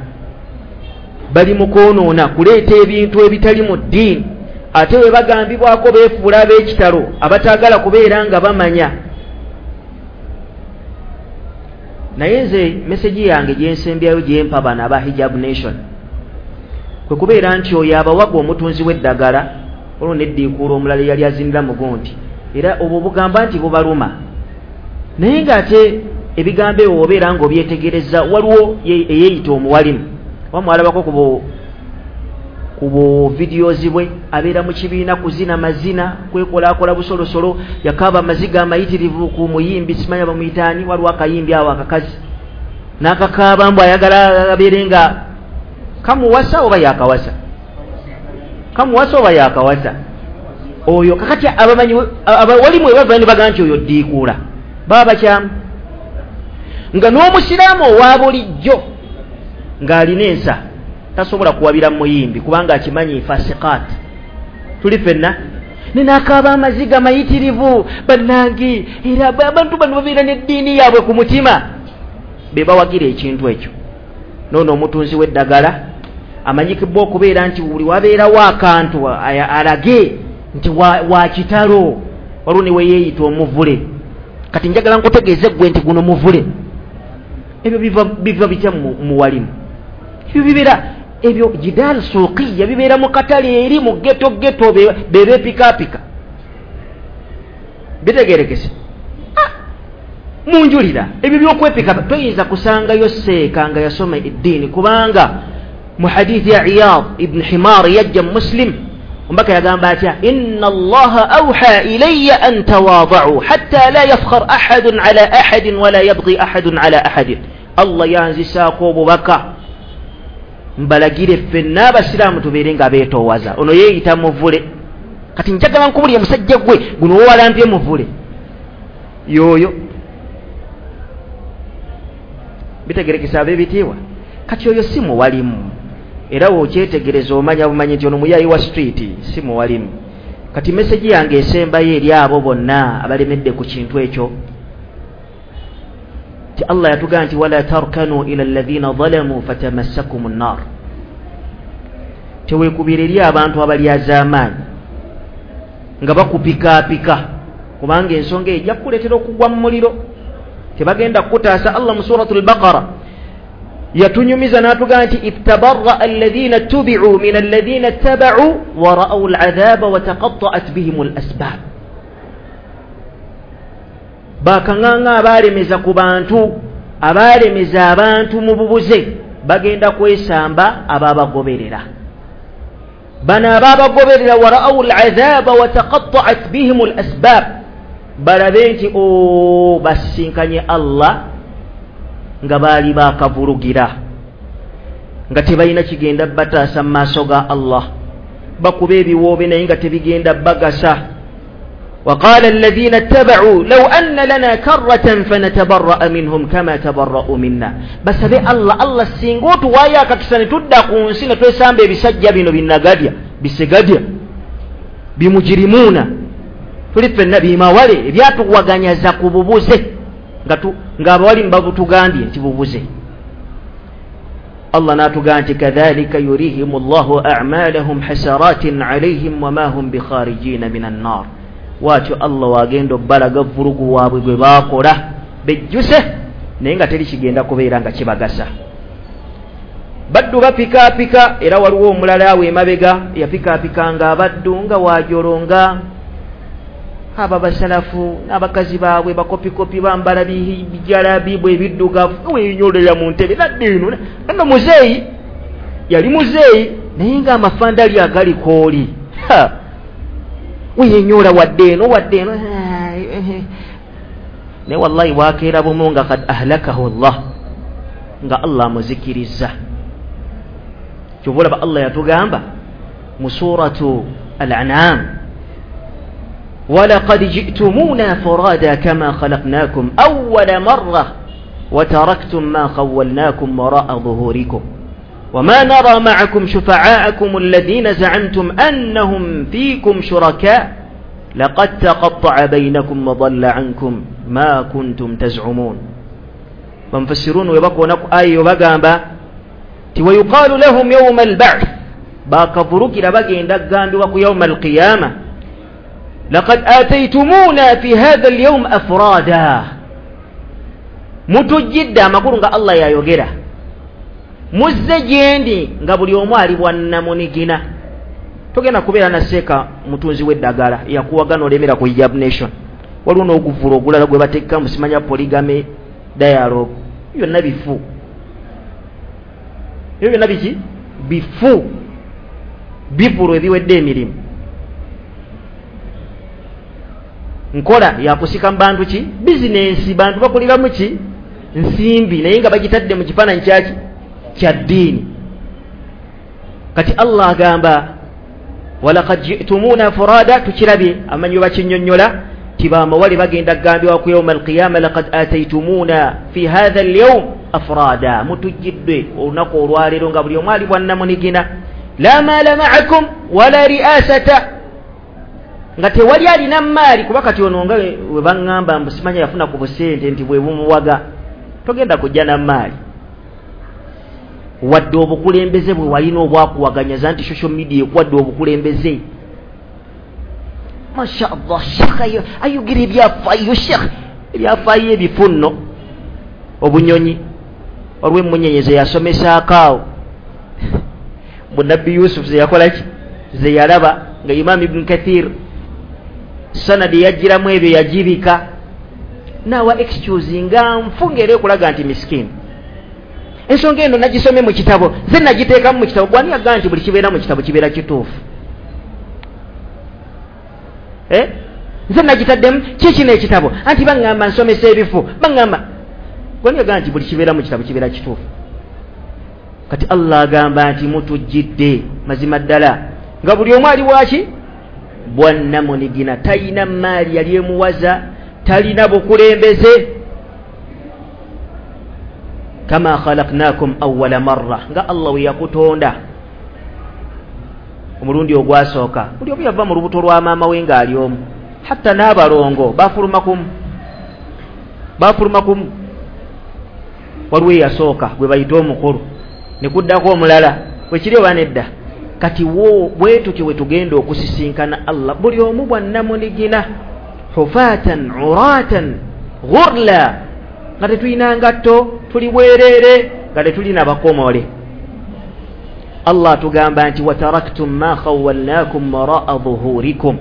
bali mu kwonoona, kuleeta ebintu ebitali mu ddiini. Ate we bagambibwako beefuula ab'ekitalo, abataagala kubeera nga bamanya. Naye nze meseji yange gyensembyayo gyempa bano aba Hijab Nation kwe kubeera nti oyo abawaga omutunzi w'eddagala olwo neddiikuula omulala eyali azinira mugundi, era obwo bugamba nti bubaluma. Naye ng'ate ebigambo ebyo obeera ng'obyetegereza, waliwo eyeeyita omuwalimu, oba mwalabako ku bu videos bwe, abeera mu kibiina kuzina mazina, kwekolaakola busolosolo, yakaaba amaziga amayitirivu ku muyimbi, simanya bamuyitaani, waliwo akayimbi awo akakazi n'akakaaba mbu ayagala abeere nga kamuwasa oba yakawasa, kamuwasa oba yakawasa. Oyo kakati abamanyi abawalimu bava ne bagamba nti oyo ddiikuula, baba bakyamu. Nga n'omusiraamu owa bulijjo ng'alina ensa tasobola kuwabira muyimbi, kubanga akimanyi fasiqat. Tuli ffenna nenakaaba amaziga mayitirivu, bannange, era abantu bano babeera n'eddiini yaabwe ku mutima, be bawagira ekintu ekyo. Noono omutunzi w'eddagala amanyikibwa okubeera nti buli wabeerawo akantu alage nti wa kitalo, waliwo ne weyeeyita omuvule. Kati njagala nkutegeeze ggwe nti guno muvule. Ebyo biva bitya mu walimu? Ebyo bibeera ebyo jidaal suuqiya, bibeera mu katale eri mu ghetto ghetto bebeepikaapika. Bitegeerekese munjulira ebyo byokwepika toyinza kusangayo seeka nga yasoma eddiini, kubanga mu hadithi ya Iyad ibn Himar yajja Muslim, omubaka yagamba atya? Inna Allaha awha ilayya an tawada'u hatta la yafkhar ahadun ala ahadin wala yabghi ahadun ala ahadin. Allah yanzisaako obubaka mbalagire ffenna abasiraamu tubeere nga beetoowaza. Ono yeeyita muvule. Kati njagala nkubulire musajja gwe guno wowalampye muvule yoyo. Bitegerekesa ab'ebitiibwa. Kati oyo si muwalimu, era wokyetegereza omanya bumanyi nti ono muyayi wa street, si muwalimu. Kati meseji yange esembayo eri abo bonna abalemedde ku kintu ekyo, ti Allah yatugamba nti wala tarkanu ila alladhina zalamu fatamassakum an-nar. Teweekubira eri abantu abalyazaamaanyi nga bakupikaapika, kubanga ensonga ejja kukuleetera okugwa mu muliro, tebagenda kukutaasa. Allah mu suratul Baqara yatunyumiza n'atugamba nti ittabarra alladhina tubi'u min alladhina ittaba'u wa ra'aw al'adhaba wa taqatta'at bihim al-asbab. Bakaŋŋaŋa abaalemeza ku bantu, abaalemeza abantu mu bubuze, bagenda kwesamba ababagoberera. Bano ababagoberera wa ra'aw al'adhaba wa taqatta'at bihim al-asbab, balabe nti basinkanye Allah nga baali bakavulugira, nga tebalina kigenda bataasa mu maaso ga Allah, bakuba ebiwoobe naye nga tebigenda bagasa. وقال الذين اتبعوا لو أن لنا كرة فنتبرأ منهم كما تبرأوا منا. Basabe Allah, Allah singa otuwaayo akakisa ne tudda ku nsi ne twesamba ebisajja bino binnagadya bisegadya bimujirimuuna, tuli ffenna bimawale ebyatuwaganyaza ku bubuze, ng'abawalimu babutugambye nti bubuze. Allah n'atugamba nti kadhalika yurihimu Allahu a'malahum hasaratin alayhim wama hum bikharijina minan nar. Watyo Allah wagenda obbalaga vulugu waabwe gwe baakola bejjuse, naye nga teri kigenda kubeera nga kibagasa. Baddu bapikaapika, era waliwo omulala awo emabega yapikaapikanga abaddu nga waajolonga aba basalafu n'abakazi baabwe bakopikopi bambala bijalabi bwe ebiddugavu, wenyolera mu ntebe nadda eno nno. Muzeeyi yali muzeeyi naye nga amafandali agali kooli, weyenyola wadde eno wadde eno, naye wallahi wakeera bumu nga kad ahlakahu Allah, nga Allah amuzikiriza. Kyova olaba Allah yatugamba mu suratu Al-An'am, walaqad ji'tumuna furada kama khalaqnakum awwala marra وتركتم ما خولناكم وراء ظهوركم وما نرى معكم شفعاءكم الذين زعمتم أنهم فيكم شركاء لقد تقطع بينكم وضل عنكم ما كنتم تزعمون. بمفسرون ويبقوا نقو آي وبقامبا ويقال لهم يوم البعث باكفروك لبقي عندك يوم القيامة لقد آتيتمونا في هذا اليوم أفرادا. Mutujjidde amakulu nga Allah yayogera, muzze gyendi nga buli omu ali bwannamunigina. Togenda kubeera na seeka mutunzi w'eddagala yakuwagana olemera ku Hijab Nation. Waliwo n'oguvula ogulala gwe bateeka mu simanya polygamy dialogue, byonna bifu. Ebyo byonna biki? Bifu, bivulu ebiwedde emirimu. Nkola yakusika mu bantu ki? Bizinensi, bantu bakuliramu ki? Nsimbi, naye nga bagitadde mu kifaananyi kyaki? Kya ddiini. Kati Allah agamba walaqad ji'tumuna furada, tukirabye amanyi bakinnyonnyola ti bamawali bagenda kugambibwa ku yawma alqiyama laqad ataytumuna fi hadha alyawm afrada, mutujjidde olunaku olwaleero nga buli omu ali bwannamunigina, la maala ma'akum wala ri'asata, nga tewali alina maali. Kuba kati ono nga we baŋŋamba mbu simanya yafuna ku busente nti bwe bumuwaga, togenda kujja na maali. Wadde obukulembeze bwe walina obwakuwaganyaza nti social media ekuwadde obukulembeze, masha Allah, shekh ayogera ebyafaayo, shekh ebyafaayo ebifu nno obunyonyi olw'emmunyenye ze yasomesaako awo bunabbi Yusuf ze yakolaki, ze yalaba nga Imam Ibn Kathir sanadi yajjiramu ebyo yagibika naawa excuse nga nfu ng'era ekulaga nti misikini. Ensonga eno nagisome mu kitabo, ze nagiteekamu mu kitabo. Gwani yagamba nti buli kibeera mu kitabo kibeera kituufu? Nze nagitaddemu kikino ekitabo, anti baŋŋamba nsomesa ebifu, baŋŋamba. Gwani yagamba nti buli kibeera mu kitabo kibeera kituufu? Kati Allah agamba nti mutujjidde mazima ddala nga buli omu ali waki bwannamunigina, talina maali yali emuwaza, talina bukulembeze. Kama khalaqnakum awwala marra, nga Allah we yakutonda omulundi ogwasooka. Buli omu yava mu lubuto lwa maama we ng'ali omu, hatta n'abalongo bafuluma kumu. Waliwo eyasooka gwe bayita omukulu, ne kuddako omulala, wekiri oba nedda? Kati bwe tutyo bwe tugenda okusisinkana Allah, buli omu bwannamunigina, hufatan uratan ghurla, nga tetulina ngatto, tuli bwereere, nga tetulina bakomole. Allah atugamba nti wataraktum ma khawwalnakum waraa dhuhurikum.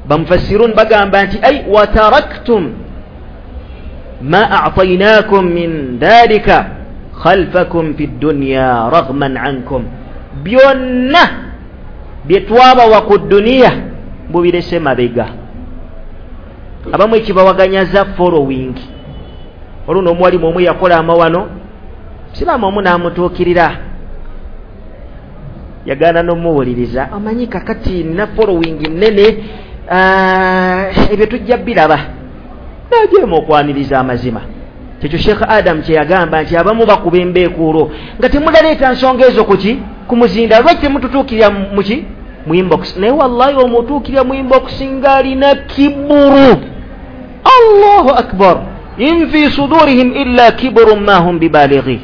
Bamufassirun bagamba nti ay wataraktum ma a'taynakum min dhalika khalfakum fi dunya raghman ankum, byonna bye twabawa ku duniya mubirese mabega. Abamu ekibawaganyaza following. Olwo omuwalimu omu yakola amawano, musiraamu omu n'amutuukirira, yagaana n'omuwuliriza, amanyi kakati nina following nnene, ebyo tujja biraba. N'ajeema okwaniriza amazima. Kyekyo Sheikh Adam kye yagamba nti abamu bakuba embeekuulo nga temulaleeta nsonga ezo kuki ku muzinda, lwaki temututuukirira muki mu inbox? Naye wallahi omutuukirira mu inbox ng'alina kiburu. Allahu akbar, in fi sudurihim illa kiburun ma hum bibalighi,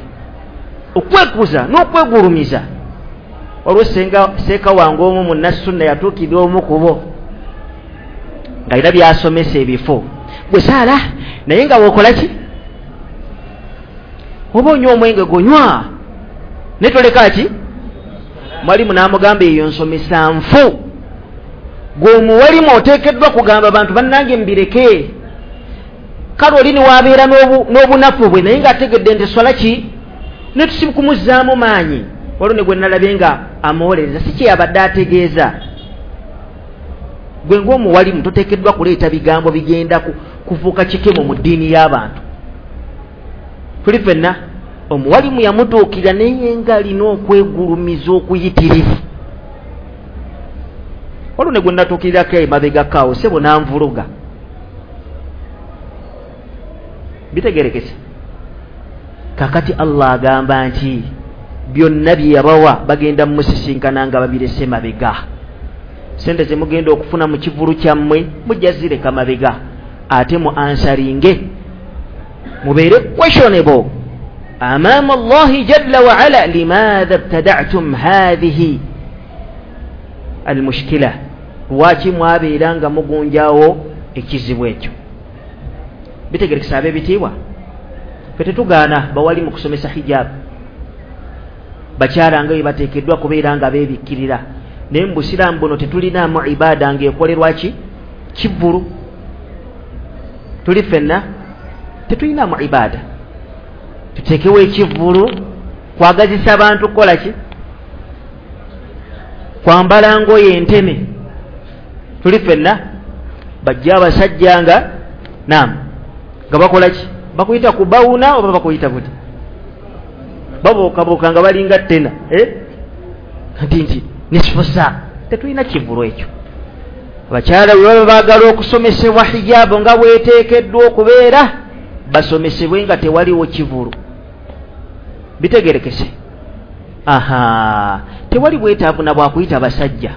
okwekuza n'okwegulumiza. Olwo senga seeka wange omu munnasunna yatuukirira omu ku bo ng'alina byasomesa ebifo, gwe saala naye nga bw'okola ki, oba onywa omwenge gonywa naye toleka ki. Mwalimu n'amugamba eyo nsomesa nfu, gwe omuwalimu oteekeddwa kugamba abantu bannange mbireke. Kale oli niwabeera n'obunafu bwe naye ng'ategedde nti swala ki, ne tusikumuzzaamu maanyi. Waliwo ne gwe nalabye nga amuwolereza, si kye yabadde ategeeza. Gwe ng'omuwalimu toteekeddwa kuleeta bigambo bigenda kufuuka kikemo mu ddiini y'abantu. Tuli ffenna omuwalimu yamutuukirira naye ng'alina okwegulumiza okuyitirivu. Waliwo ne gwe natuukirirako emabegako awo, ssebo n'anvuluga. Bitegerekese. Kakati Allah agamba nti byonna bye yabawa bagenda mumusisinkana nga babirese mabega. Sente ze mugenda okufuna mu kivulu kyammwe mujja zireka mabega, ate mu ansaringe mubeere questionable amama Allahi jalla wa ala, limadha ibtada'tum hadhihi almushkila, lwaki mwabeera nga mugunjawo ekizibu ekyo? Bitegerekesa ab'ebitiibwa, ffe tetugaana bawali mu kusomesa hijab, bakyala nga bwe bateekeddwa kubeera nga beebikkirira, naye mu busiraamu buno tetulinaamu ibaada ng'ekolerwa ki kivvulu. Tuli ffenna tetulinaamu ibaada, tuteekewo ekivvulu kwagazisa abantu kukola ki, kwambala ngoye enteme. Tuli ffenna bajja abasajja nga naam nga bakola ki, bakuyita kubawuna oba bakuyita buti, babuukabuuka nga balinga ttena nti nisfu saa. Tetulina kivvulu ekyo. Abakyala bwe baba baagala okusomesebwa hijaabu nga bweteekeddwa okubeera, basomesebwe nga tewaliwo kivvulu. Bitegerekese. Aha, tewali bwetaavu na bwakuyita basajja,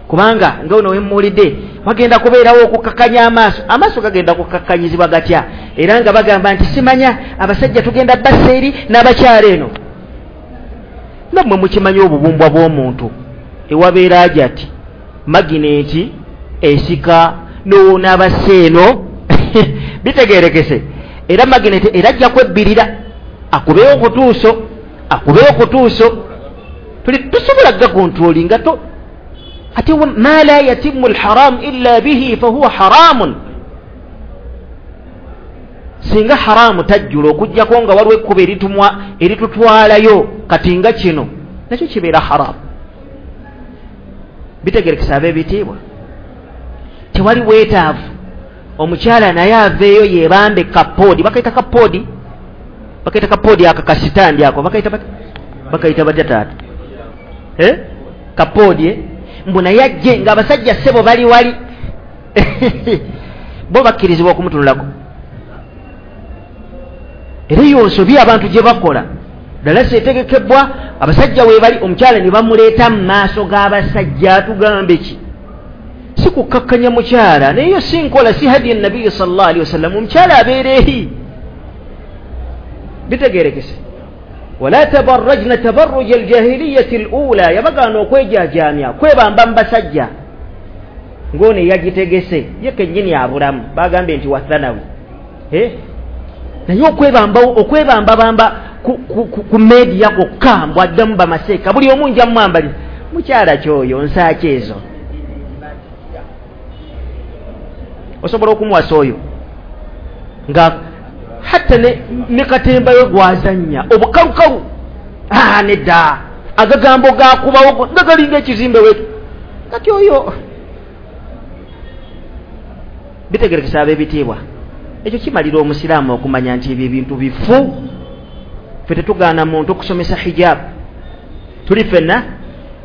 kubanga nga ono wemmuwulidde Wagenda kubeerawo okukakkanya amaaso. Amaaso gagenda kukakkanyizibwa gatya? Era nga bagamba nti simanya abasajja tugenda bassa eri n'abakyala eno. Nammwe mukimanyi obubumbwa bw'omuntu ewabeera ajati magineti esika n'abassa eno bitegeerekese. Era magineti era ajja kwebbirira akubeewo kutuuso, tuli tusobola gakontrolinga to. Ate ma la yatimu alharam illa bihi fahuwa haramun. Singa haramu tajjula okuggyako nga waliwo ekkubo eritutwalayo, kati nga kino nakyo kibeera haramu. Bitegerekesa ab'ebitiibwa, tewali bwetaavu omukyala naye aveeyo yeebambe kapoodi. Bakayita kapoodi, bakaita kapoodi aka kasitandi ako bakaita batya taata kapoodi mbu naye ajje ng'abasajja ssebo bali wali bo bakkirizibwa okumutunulako. Era eyo nsobi abantu gye bakola. Ddala seetegekebwa abasajja we bali, omukyala ne bamuleeta mu maaso g'abasajja. Atugambe ki? Si kukkakkanya mukyala, naye yo si nkola, si hadiya nabbiyi sallallahu alaihi wasallam. Omukyala abeera eri. Bitegeerekese. Wala tabarrajna tabarruja aljahiliyati alula, yabagaana okwejajaamya kwebamba mu basajja. Ng'ono eyagitegese ye kennyini abulamu, bagambye nti wathanawi. Naye okwebambabamba ku media kwokka mbw addamu bamaseeka buli omu nja mwambali mukyala kyoyo nsaaki ezo. Osobola okumuwasa oyo nga hatta ne katembayo gwazannya obukalukalu nedda agagambo gakubawo nga galinga ekizimbe wetu kati oyo. Bitegerekesa ab'ebitiibwa, ekyo kimalira omusiraamu okumanya nti ebyo ebintu bifu. Ffe tetugaana muntu okusomesa hijab, tuli ffenna,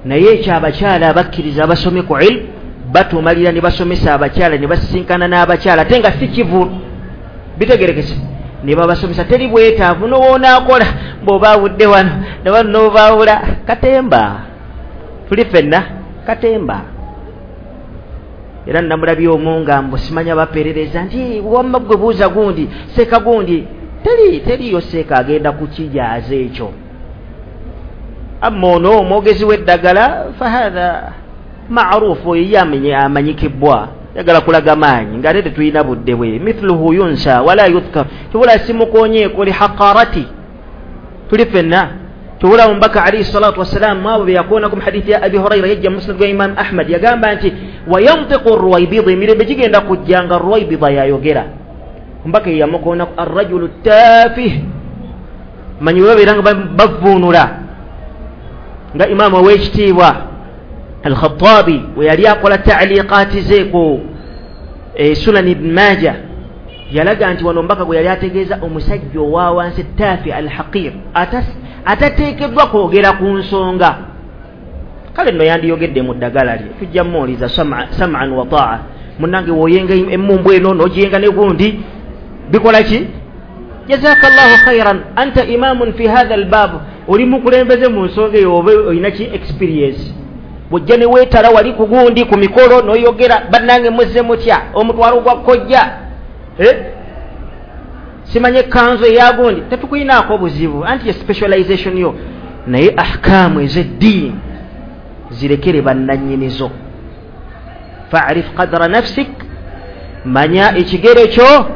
naye ekyo abakyala abakkiriza abasome ku ilmu batumalira ne basomesa abakyala ne basisinkana n'abakyala ate nga si kivu. Bitegerekese. Ne babasomesa teri bwetaavu n'owonaakola bw'obaawudde wano ne wano n'obaawula katemba. Tuli ffenna katemba. Era namulabye omu nga mbu simanya baperereza nti wamma gwe buuza gundi seeka gundi, teriyo seeka agenda kukijaaza ekyo. Amma ono omwogezi w'eddagala fahatha maarufu, oyo ye amanyikibwa, yagala kulaga maanyi ng'ate tetulina budde bwe. Mithluhu yunsa wala yudhkar, tubula simukoonyeeko li haqarati. Tuli ffenna. Tubula omubaka alayhi salatu wassalaamu abo be yakoonako mu hadithi ya Abi Hurayra yajja mu musnad gwa Imam Ahmad, yagamba nti wayantiqu ruwaybida, emirembe gigenda kujja nga ruwaybida yayogera. Omubaka ye yamukoonako arrajulu tafih, manyi bwe babeera nga bavuunula nga imaamu ow'ekitiibwa Al-Khattabi we yali akola ta'liqaati ze ku Sunan Ibn Majah, yalaga nti wano omubaka gwe yali ategeeza omusajja owa wansi tafi al-haqir, atateekeddwa kwogera ku nsonga. Kale nno yandiyogedde mu ddagala lye, tujja mmuwuliza sam'an wa ta'a. Munnange w'oyenga emmumbwa eno n'ogiyenga ne gundi bikola ki? Jazakallahu khairan, anta imamun fi hadha al-bab, oli mukulembeze mu nsonga eyo oba olina ki experience. Bw'ojja ne weetala wali ku gundi ku mikolo n'oyogera bannange muzze mutya omutwalo gwa kojja simanye ekkanzu eya gundi, tetukuyinaako buzibu anti ye specialization yo. Naye ahkaamu ez'eddiini zirekere bannannyinizo. Fa'rif qadra nafsik, manya ekigere kyo.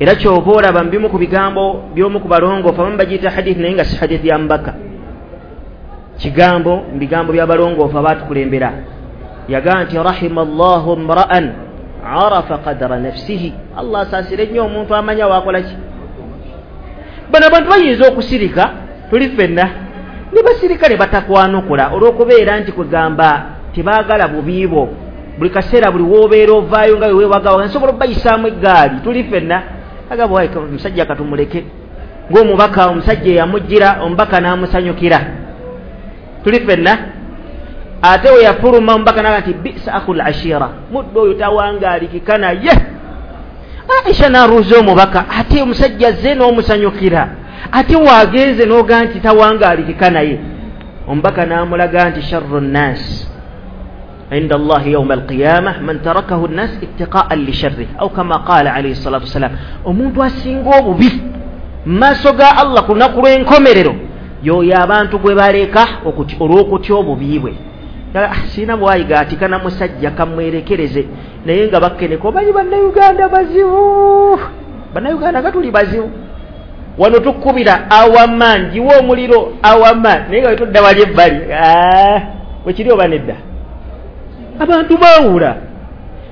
Era ky'oba olaba mu bimu ku bigambo by'omu ku balongoofu abamu bagiyita hadithi naye nga si hadithi ya mubaka, kigambo mu bigambo by'abalongoofu abaatukulembera, yagamba nti rahima llahu mra'an arafa qadra nafsihi, Allah asaasire nnyo omuntu amanya waakola ki. Bano abantu bayinza okusirika, tuli ffenna, ne basirika ne batakwanukula olw'okubeera nti kwegamba tebaagala bubi bwo. Buli kaseera buli w'obeera ovaayo nga weewagawaga nsobola okubayisaamu eggaali, tuli ffenna. Agamba omusajja katumuleke, ng'omubaka omusajja eyamujjira omubaka n'amusanyukira, tuli ffenna. Ate we yafuluma omubaka n'agamba nti bisa akhul ashira, muddu oyo tawangaalikika naye. Aisha n'aruuza omubaka, ate omusajja azze n'omusanyukira, ate waagenze n'ogaa nti tawangaalikika naye. Omubaka n'amulaga nti sharru nnaasi, Inda Allahi yauma alqiyama man tarakahu nnas ittiqaan lisharrih, au kama qala alaihi salatu wassalam. Omuntu asinga obubi mu maaso ga Allah ku lunaku lw'enkomerero yoyo abantu gwe baleka olw'okutya obubi bwe. Sirina bwayiga atikana musajja kamwerekereze, naye nga bakkeneka omanyi Bannayuganda bazibu, Bannayuganda nga tuli bazibu, wano tukkubira awaman giwa omuliro awaman, naye nga wetudda wali ebbali wekiri oba nedda, abantu baawula.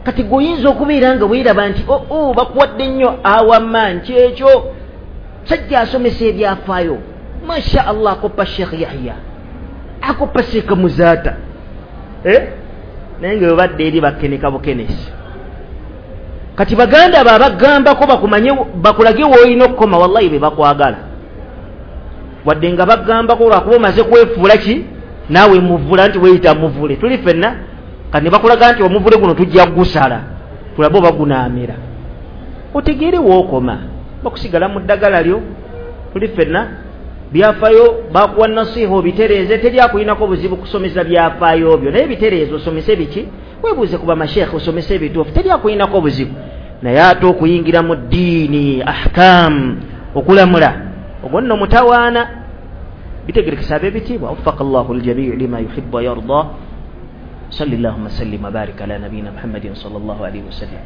Kati gwe oyinza okubeera nga weeraba nti oo bakuwadde nnyo awaman, kyekyo sajja asomesa ebyafaayo, masha Allah, akoppa Sheikh Yahya, akoppa Sheikh Muzaata, naye nga webadde eri bakkeneka bukenesi. Kati baganda bo abagambako bakumanye bakulage w'olina okukoma, wallahi be bakwagala, wadde nga bagambako lwakuba omaze kwefuula ki naawe muvula nti weeyita muvule, tuli ffenna. Kati ne bakulaga nti omuvule guno tujja kugusala tulabe oba gunaamera, otegeere w'okoma, bakusigala mu ddagala lyo, tuli ffenna. Byafaayo bakuwa nasiha obitereeze, teri akulinako buzibu kusomesa byafaayo byo, naye bitereeze osomese biki, weebuuze ku bamasheekhe osomese ebituufu, teri akulinako buzibu. Naye ate okuyingira mu ddiini ahkam, okulamula, ogwo nno mutawaana. Bitegerekesa ab'ebitiibwa. Waffaka Allahu ljamii lima yuhibbu wa yarda. Salli llahumma sallim wa barik ala nabiyina Muhammadin sallallahu alaihi wasallam.